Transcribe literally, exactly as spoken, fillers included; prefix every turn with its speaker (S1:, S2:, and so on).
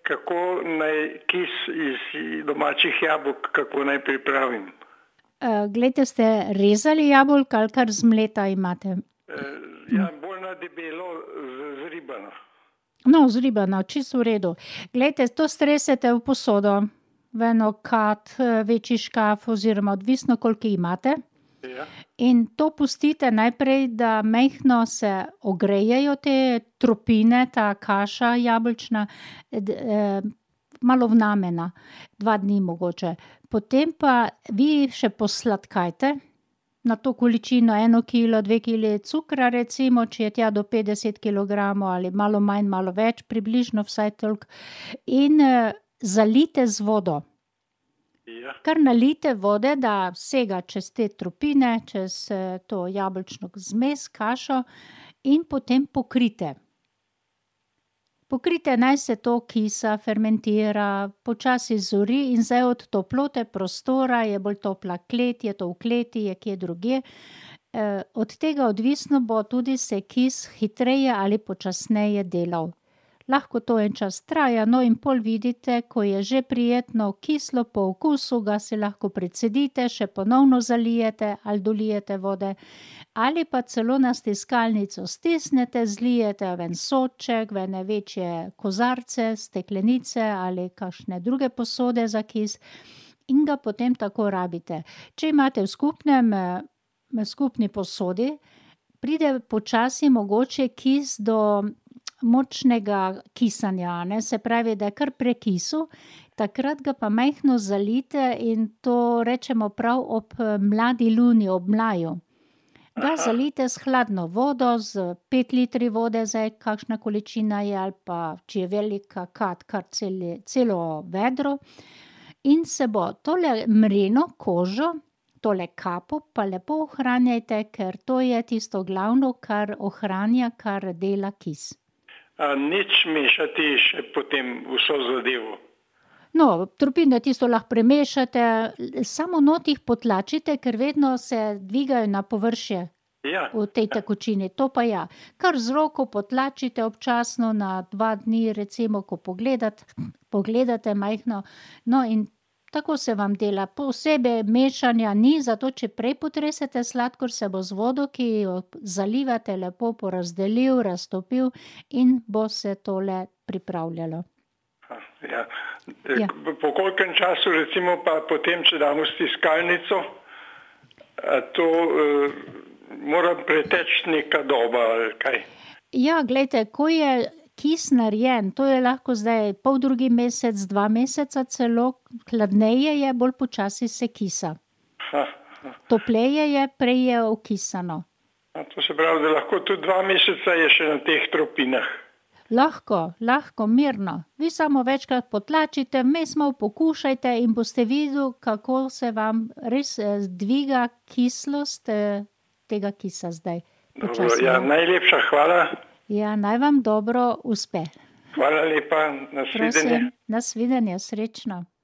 S1: kako naj kis iz domačih jabolk, kako naj pripravim.
S2: Uh, glejte, ste rezali jabolka ali kar zmleta imate?
S1: Uh, ja, bolj na debelo z- zribano.
S2: No, zribano, čisto v redu. Glejte, to stresete v posodo, v eno kad, eh, večji škaf oziroma odvisno, koliko imate.
S1: Ja,
S2: In to pustite najprej, da majhno se ogrejejo te tropine, ta kaša jabolčna, d- eh, malo vnamena, dva dni mogoče. Potem pa vi še posladkajte na to količino eno kilo, dve kili cukra recimo, če je tja do petdeset kilogramov ali malo manj, malo več, približno vsaj toliko. In eh, zalijte z vodo.
S1: ja,
S2: Kar nalijte vode, da sega čez te tropine, čez eh, to jabolčno zmes, kašo in potem pokrite. Pokrite, naj se to kisa fermentira, počasi zori in zdaj od toplote prostora, je bolj topla klet, je to v kleti, je kje drugje. Eh, od tega odvisno bo tudi se kis hitreje ali počasneje delal. Lahko to en čas traja, no in pol vidite, ko je že prijetno kislo po okusu, ga si lahko precedite, še ponovno zalijete ali dolijete vode, ali pa celo na stiskalnico stisnete, zlijete v en sodček, v ene večje kozarce, steklenice ali kakšne druge posode za kis in ga potem tako rabite. Če imate v skupnem, eh, v skupni posodi, pride počasi mogoče kis do močnega kisanja, a ne, se pravi, da je kar prekisu, takrat ga pa majhno zalijte in to rečemo prav ob eh, mladi luni, ob mlaju. Ga
S1: Aha.
S2: zalijte s hladno vodo, z pet litri vode, zdaj kakšna količina je, ali pa če je velika kad, kar celi, celo vedro. In se bo tole mreno kožo, tole kapo pa lepo ohranjajte, ker to je tisto glavno, kar ohranja, kar dela kis.
S1: A nič mešati še potem vso zadevo.
S2: No, tropine tisto lahko premešate, l- samo not jih potlačite, ker vedno se dvigajo na površje
S1: Ja,
S2: v tej tekočini, to pa ja. Kar z roko potlačite občasno na dva dni, recimo, ko pogledate, pogledate majhno, no in tako se vam dela. Posebej mešanja ni, zato če prej potresete sladkor, se bo z vodo, ki jo zalivate, lepo porazdelil, raztopil in bo se tole pripravljalo.
S1: ha, ja.
S2: Ja.
S1: Po po kolikem času recimo pa potem, če damo stiskalnico, a to uh, mora preteči neka doba ali kaj?
S2: Ja, glejte, ko je kis narejen, to je lahko zdaj pol drugi mesec, dva meseca celo, hladneje je, bolj počasi se kisa.
S1: Ha, ha.
S2: Topleje je, prej je okisano.
S1: A to se pravi, da lahko tudi dva meseca je še na teh tropinah.
S2: Lahko, lahko, mirno. Vi samo večkrat potlačite, vmes malo pokušajte in boste videli, kako se vam res eh, dviga kislost eh, tega kisa zdaj.
S1: Dobro,
S2: Počasi,
S1: ja,
S2: ja.
S1: najlepša hvala.
S2: Ja, naj vam dobro uspe.
S1: Hvala lepa, nasvidenje.
S2: Prosim, nasvidenje, srečno.